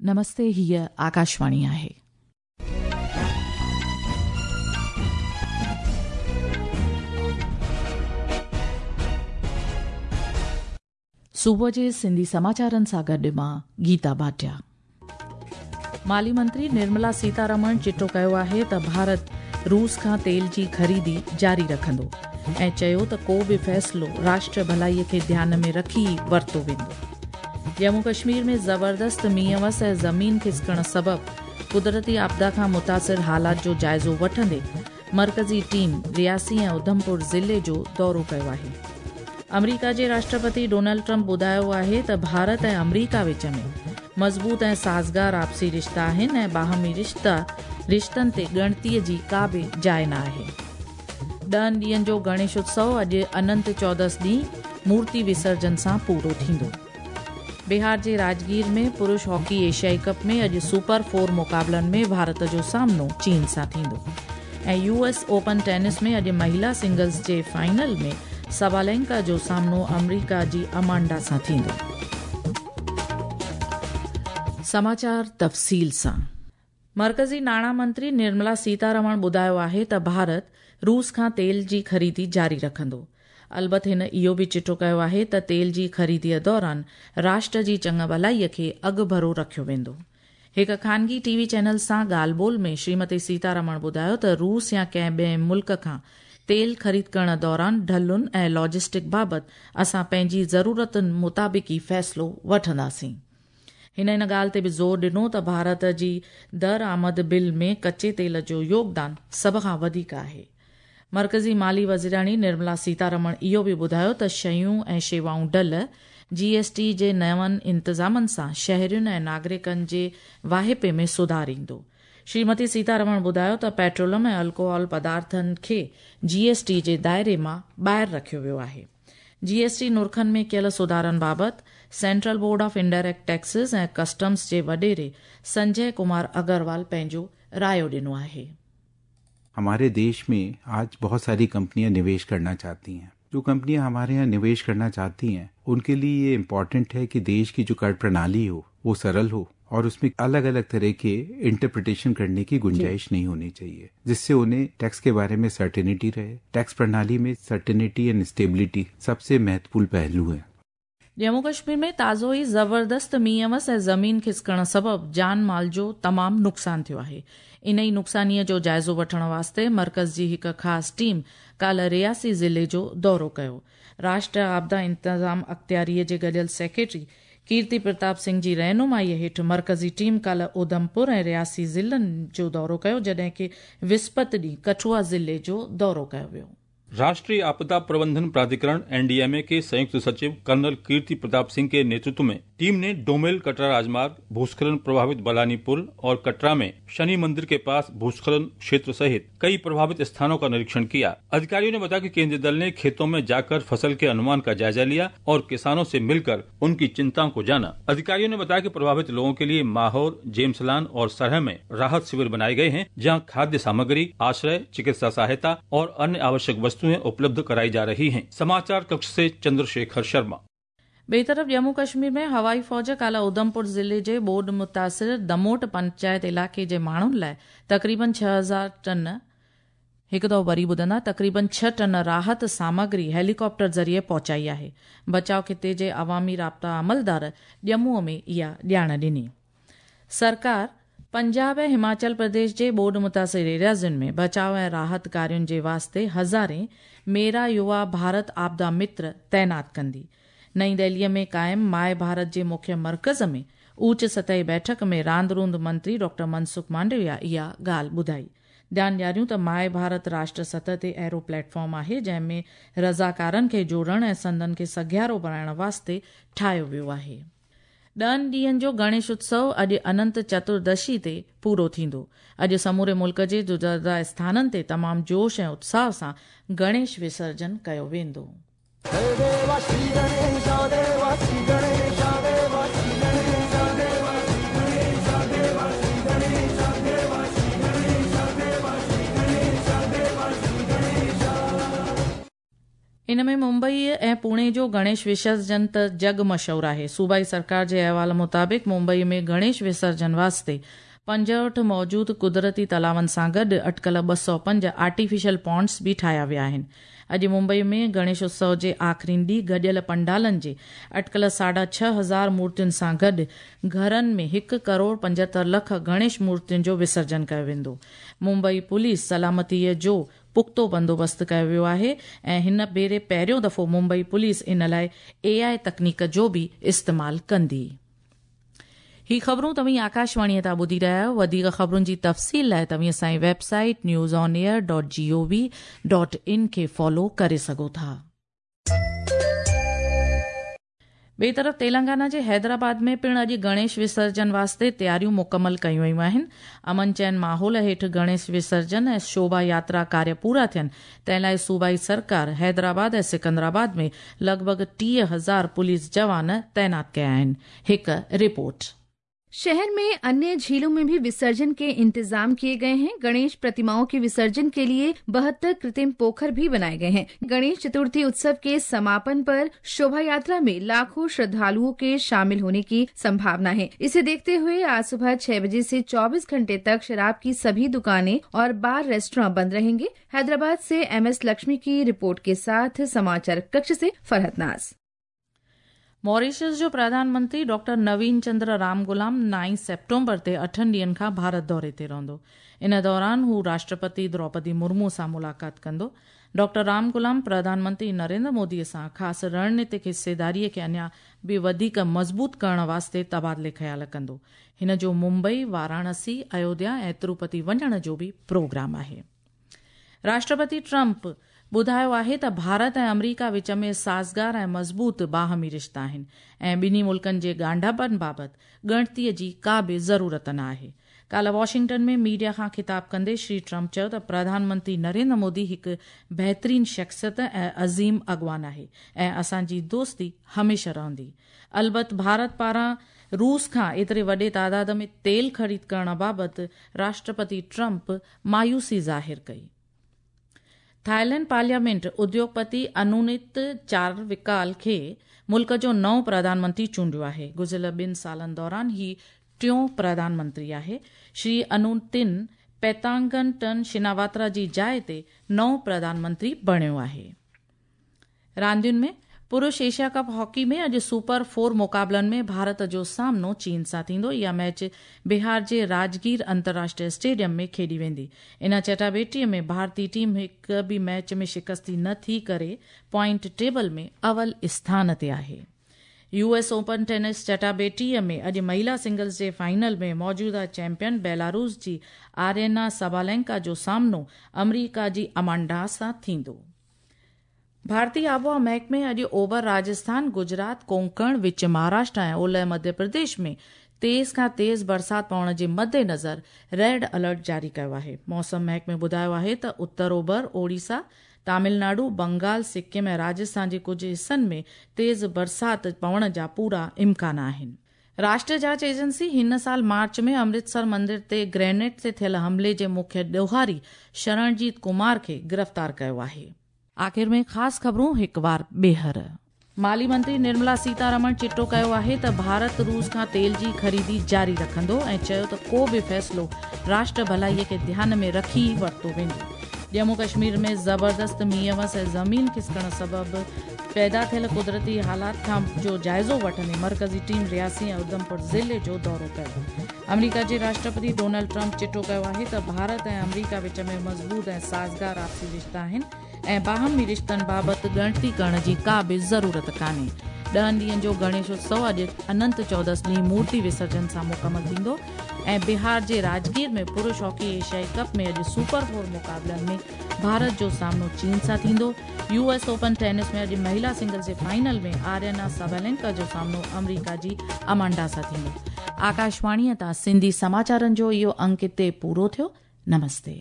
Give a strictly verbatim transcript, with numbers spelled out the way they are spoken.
नमस्ते, हीअ आकाशवाणी आहे। सुबुह जे सिंधी समाचारनि सां गॾु मां गीता भाटिया। माली मंत्री निर्मला सीतारमण चिटो कयो आहे त भारत रूस खां तेल जी ख़रीदी जारी रखंदो ऐं चयो त को बि फ़ैसिलो राष्ट्र भलाईअ खे ध्यान में रखी ई वरितो वेंदो। जम्मू कश्मीर में ज़बरदस्त मींहं वस ऐं ज़मीन खिसकण सबबि कुदरती आपदा खां मुतासिर हालात जो जाइज़ो वठंदे मरकज़ी टीम रियासी ऐं उधमपुर ज़िले जो दौरो कयो आहे। अमरीका जे राष्ट्रपति डोनाल्ड ट्रंप ॿुधायो आहे त भारत ऐं अमरीका विच में मज़बूत ऐं साज़गार आपसी रिश्ता आहिनि ऐं बाहमी रिश्ता रिश्तनि ते ॻणतीअ जी का बि जाइ न आहे। ॾहनि ॾींहनि जो गणेश उत्सव अॼु अनंत चौदस ॾींहुं मूर्ति विसर्जन सां पूरो थींदो। बिहार जे राजगीर में पुरुष हॉकी एशियाई कप में अॼु सुपर फोर मुक़ाबलनि में भारत जो सामनो चीन सां थींदो। ऐं यू एस ओपन टेनिस में अॼु महिला सिंगल्स जे फाइनल में सबालेंका जो सामनो अमरीका जी अमांडा सां थींदो। समाचार तफ़सील सां। मरकज़ी नाणा मंत्री निर्मला सीतारमण ॿुधायो आहे त भारत रूस खां तेल जी ख़रीदी जारी रखंदो। अलबत हिन इहो बि चिटो कयो आहे त तेल जी ख़रीदीअ दौरान राष्ट्र जी चङु भलाईअ खे अॻुभरो रखियो वेंदो। हिकु ख़ानगी टीवी चैनल सां ॻाल्हि ॿोल में श्रीमती सीतारमण ॿुधायो त रूस या कंहिं ॿिए मुल्क खां तेल ख़रीद करण दौरान ढलुनि ऐं लॉजिस्टिक बाबति असां पंहिंजी ज़रूरतुनि मुताबिक़ ई फ़ैसिलो वठंदासीं। हिन इन ॻाल्हि ते बि ज़ोर ॾिनो त भारत जी दरआमद बिल में कच्चे तेल जो योगदान सभ खां वधीक आहे। मरकज़ी माली वज़ीराणी निर्मला सीतारमण इहो बि ॿुधायो त शयूं ऐं शेवाऊं ढल जी एस टी जे नवनि इंतज़ामनि सां शहरियुनि ऐं नागरिकनि जे वाहिपे में सुधार ईंदो। श्रीमती सीतारमण ॿुधायो त पेट्रोलियम ऐं अल्कोहल पदार्थनि खे जी एस टी जे दायरे मां ॿाहिरि रखियो वियो आहे। जी एस टी नुरखनि में कयल सुधारनि बाबति central board of indirect taxes ऐं कस्टम्स जे वॾेरे संजय कुमार अग्रवाल पंहिंजो रायो ॾिनो आहे। हमारे देश में आज बहुत सारी कंपनियां निवेश करना चाहती हैं। जो कंपनियां हमारे यहाँ निवेश करना चाहती हैं उनके लिए ये इम्पोर्टेंट है कि देश की जो कर प्रणाली हो वो सरल हो और उसमें अलग अलग तरह के इंटरप्रिटेशन करने की गुंजाइश नहीं होनी चाहिए, जिससे उन्हें टैक्स के बारे में सर्टेनिटी रहे। टैक्स प्रणाली में सर्टेनिटी एंड स्टेबिलिटी सबसे महत्वपूर्ण पहलू है। जम्मू कश्मीर में ताज़ो ई ज़बरदस्त मींहं वस ऐं ज़मीन खिसकण सबबि जान माल जो तमामु नुक़सानु थियो आहे। इन ई नुक़सानीअ जो जाइज़ो वठण वास्ते मरकज़ जी हिकु ख़ासि टीम काल्ह रियासी ज़िले जो दौरो कयो। राष्ट्र आपदा इंतज़ाम अख़्तियारीअ जे गॾियल सेक्रेटरी कीर्ति प्रताप सिंह जी रहनुमाईअ हेठि मरकज़ी टीम काल्ह उधमपुर ऐं रियासी ज़िलनि जो दौरो कयो, जॾहिं की विस्पति ॾींहुं कठुआ ज़िले जो दौरो कयो वियो। राष्ट्रीय आपदा प्रबंधन प्राधिकरण एन डी एम ए के संयुक्त सचिव कर्नल कीर्ति प्रताप सिंह के नेतृत्व में टीम ने डोमेल कटरा राजमार्ग, भूस्खलन प्रभावित बलानी पुल और कटरा में शनि मंदिर के पास भूस्खलन क्षेत्र सहित कई प्रभावित स्थानों का निरीक्षण किया। अधिकारियों ने बताया कि केंद्रीय दल ने खेतों में जाकर फसल के अनुमान का जायजा लिया और किसानों से मिलकर उनकी चिंताओं को जाना। अधिकारियों ने बताया कि प्रभावित लोगों के लिए माहौर, जेम्सलान और सरह में राहत शिविर बनाए गए हैं, जहाँ खाद्य सामग्री, आश्रय, चिकित्सा सहायता और अन्य आवश्यक वस्तुएं उपलब्ध कराई जा रही हैं। समाचार कक्ष से चंद्रशेखर शर्मा। ॿिए तरफ़ जम्मू कश्मीर में हवाई फ़ौज काल्ह उधमपुर ज़िले जे ॿोॾ मुतासिर दमोट पंचायत इलाइक़े जे माण्हुनि लाइ तक़रीबन छह हज़ार टन हिकु दफ़ो वरी ॿुधंदा तक़रीबन छह टन राहत सामग्री हेलीकॉप्टर ज़रिए पहुचाई आहे। बचाव खिते जे अवामी राब्ता अमलदार ॼम्मूअ में इहा ॼाण ॾिनी। सरकार पंजाब ऐं हिमाचल प्रदेश जे ॿोॾ मुतासिर एरियाज़ुनि में बचाव ऐं राहत कार्युनि जे वास्ते हज़ारे मेरा युवा भारत आपदा मित्र तैनात कंदी। नई दिल्लीअ में क़ाइमु my Bharat जे मुख्य मर्कज़ में ऊच सतही बैठक में रांदि रूंद मंत्री डॉक्टर मनसुख मांडविया इहा ॻाल्हि ॿुधाई। ध्यानु ॾियारियूं त my Bharat राष्ट्र सतह ते अहिड़ो प्लेटफॉर्म आहे जंहिं में रज़ाकारनि खे जोड़ण ऐं संदन खे सघियारो बणाइण वास्ते ठाहियो वियो आहे। ॾहनि ॾींहनि जो गणेश उत्सव अॼु अनंत चतुर्दशी ते पूरो थींदो। अॼु समूरे मुल्क जे जुदा जुदा स्थाननि ते तमामु जोश ऐं उत्साह सां गणेश विसर्जन कयो वेंदो। इन हिन में मुंबई ऐं पुणे जो गणेश विसर्जन त जग मशहूर आहे। सूबाई सरकार जे अहवाल मुताबिक़ मुंबई में गणेश विसर्जन वास्ते पंजहठि मौजूद कुदरती तलाउनि सां गॾु अटकल ॿ सौ पंज आर्टिफिशियल पॉन्ड्स बि ठाहिया विया आहिनि। अॼु मुंबई में गणेश उत्सव जे आख़िरी ॾींहुं गॾियल पंडालनि जे अटकल साढा छह हज़ार मूर्तियुनि सां गॾु घरनि में हिकु करोड़ पंजहतरि लख गणेश मूर्तियुनि जो विसर्जन कयो वेंदो। मुंबई पुलिस सलामतीअ जो पुख़्तो बंदोबस्तु कयो वियो आहे ऐं हिन भेरे पहिरियों दफ़ो मुंबई पुलिस इन लाइ ए आई तकनीक जो बि इस्तेमालु कंदी। ही ख़बरूं तव्हीं आकाशवाणीअ तां ॿुधी रहिया आहियो। वधीक ख़बरुनि जी तफ़सील लाइ तव्हीं असांजी website news on air dot G O V dot in खे फॉलो करे सघो था। ॿिए तरफ़ तेलंगाना जे हैदराबाद में पिणु अॼु गणेश विसर्जन वास्ते तयारियूं मुकमल कयूं वयूं आहिनि। अमन चैन माहौल हेठि गणेश विसर्जन ऐं शोभा यात्रा कार्य पूरा थियनि तंहिं लाइ सूबाई सरकार हैदराबाद ऐं सिकंदराबाद में लॻभॻि टीह हज़ार पुलिस जवान तैनात कया आहिनि। हिकु रिपोर्ट। शहर में अन्य झीलों में भी विसर्जन के इंतजाम किए गए हैं। गणेश प्रतिमाओं के विसर्जन के लिए बहत्तर कृत्रिम पोखर भी बनाए गए हैं। गणेश चतुर्थी उत्सव के समापन पर शोभा यात्रा में लाखों श्रद्धालुओं के शामिल होने की संभावना है। इसे देखते हुए आज सुबह छह बजे से चौबीस घंटे तक शराब की सभी दुकानें और बार रेस्टोरेंट बंद रहेंगे। हैदराबाद से एम एस लक्ष्मी की रिपोर्ट के साथ समाचार कक्ष से फरहत नाज। मॉरिशस जो प्रधानमंत्री doctor Navin Chandra Ramgoolam nine September ते अठनि ॾींहनि खां भारत दौरे ते रहंदो। इन दौरान हू राष्ट्रपति द्रौपदी मुर्मू सां मुलाक़ात कंदो। डॉक्टर रामगुलाम प्रधानमंत्री नरेंद्र मोदी सां ख़ासि रणनीतिक हिस्सेदारीअ खे अञा बि वधीक मज़बूत करण वास्ते तबादिले ख़्याल कंदो। हिन जो मुंबई, वाराणसी, अयोध्या ऐं तिरुपति वञण जो बि प्रोग्राम आहे। राष्ट्रपति ट्रंप ॿुधायो आहे त भारत ऐं अमरीका विच में साज़गार ऐं मज़बूत बाहमी रिश्ता आहिनि ऐं ॿिन्ही मुल्कनि जे ॻांढापनि बाबति ॻणतीअ जी का बि ज़रूरत न आहे। काल्ह वॉशिंगटन में मीडिया खां ख़िताब कंदे श्री ट्रंप चयो त प्रधानमंत्री नरेंद्र मोदी हिकु बहितरीन शख़्सियत ऐं अज़ीम अॻवान आहे ऐं असांजी दोस्ती हमेशह रहंदी। अलबत भारत पारां रूस खां एतिरे वॾे तादाद में तेल ख़रीद करण बाबति राष्ट्रपति ट्रंप मायूसी ज़ाहिर कई। थाईलैंड पार्लियामेंट उद्योगपति अनुनित चारविकाल खे मुल्क जो नओं प्रधानमंत्री चूंडियो आहे। गुज़िरियल ॿिनि सालनि दौरान ही टियों प्रधानमंत्री आहे। श्री अनुतिन पैतांगटन शिनावात्रा जी जाइ ते नओं प्रधानमंत्री बणियो आहे। रांदियुनि में पुरुष एशिया कप हॉकी में अॼु सुपर फोर मुक़ाबलनि में भारत जो सामनो चीन सां थींदो। इहा मैच बिहार जे राजगीर अंतर्राष्ट्रीय स्टेडियम में खेॾी वेंदी। इन चटाबेटीअ में भारतीय टीम हिकु बि मैच में शिकस्ती न थी करे पॉइंट टेबल में अवल स्थान ते आहे। यू एस ओपन टेनिस चटाबेटीअ में अॼु महिला सिंगल्स जे फाइनल में मौजूदा चैंपियन बेलारूस जी आर्यना सबालेंका जो सामनो अमरीका जी अमांडा सां थींदो। भारतीय आबोहवा महकमे अॼु ओभर राजस्थान, गुजरात, कोंकण, विच महाराष्ट्र ऐं ओलह मध्य प्रदेश में तेज़ खां तेज़ बरसात पवण जे मद्देनज़र रेड अलर्ट जारी कयो आहे। मौसम महकमे ॿुधायो आहे त उत्तर ओभर, ओडिशा, तमिलनाडु, बंगाल, सिक्किम ऐं राजस्थान जे कुझु हिसनि में तेज़ बरसात पवण जा पूरा इम्कान आहिनि। राष्ट्रीय जांच एजेंसी हिन साल मार्च में अमृतसर मंदिर ते ग्रेनेड ते थियल हमले जे मुख्य ॾोहारी शरणजीत कुमार खे गिरफ़्तार कयो आहे। आख़िर में ख़ासि ख़बरूं हिकु वार ॿीहर। माली मंत्री निर्मला सीतारमण चिटो कयो आहे त भारत रूस खां तेल जी ख़रीदी जारी रखंदो ऐं चयो त को बि फ़ैसिलो राष्ट्र भलाईअ खे ध्यान में रखी वरितो वेंदो। जम्मू कश्मीर में ज़बरदस्त मींहं वस ऐं ज़मीन खिसकण सबबु पैदा थियल कुदरती हालात खां जो जाइज़ो वठंदे मरकज़ी टीम रियासी ऐं उधमपुर ज़िले जो दौरो कयो। अमरीका जे राष्ट्रपति डोनाल्ड ट्रंप चिटो कयो आहे त भारत ऐं अमरीका विच में मज़बूत ऐं साज़गार आपसी रिश्ता आहिनि ऐं बाहमी रिश्तनि बाबति ॻणती करण जी का बि ज़रूरत कान्हे। ॾहनि ॾींहनि जो गणेश उत्सव अॼु अनंत चौदस ॾींहुं मूर्ति विसर्जन सां मुकमल थींदो ऐं बिहार जे राजगीर में पुरुष हॉकी एशियाई कप में अॼु सुपर फोर मुक़ाबलनि में भारत जो सामनो चीन सां थींदो। यू एस ओपन टेनिस में अॼु महिला सिंगल्स जे फाइनल में आर्यना सबालेंका जो सामनो अमरीका जी अमांडा सां थींदो। आकाशवाणीअ तां सिंधी समाचारनि जो इहो अंक हिते पूरो थियो। नमस्ते।